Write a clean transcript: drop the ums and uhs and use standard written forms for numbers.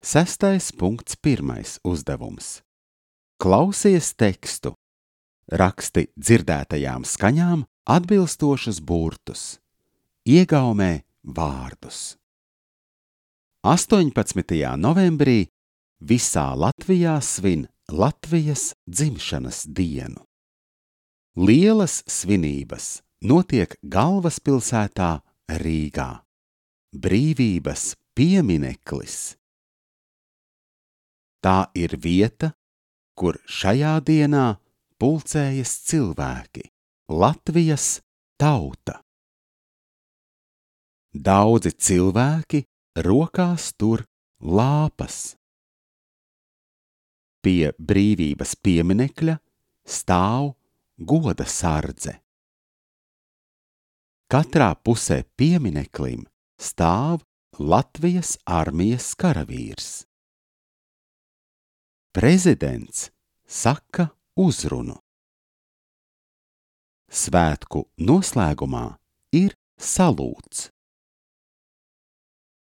6.1. uzdevums. Klausies tekstu. Raksti dzirdētajām skaņām atbilstošus burtus. Iegaumē vārdus. 18. novembrī visā Latvijā svin Latvijas dzimšanas dienu. Lielas svinības notiek galvaspilsētā Rīgā. Brīvības piemineklis. Tā ir vieta, kur šajā dienā pulcējas cilvēki, Latvijas tauta. Daudzi cilvēki rokās tur lāpas. Pie brīvības pieminekļa stāv goda sardze. Katrā pusē piemineklim stāv Latvijas armijas karavīrs. Prezidents saka uzrunu. Svētku noslēgumā ir salūts.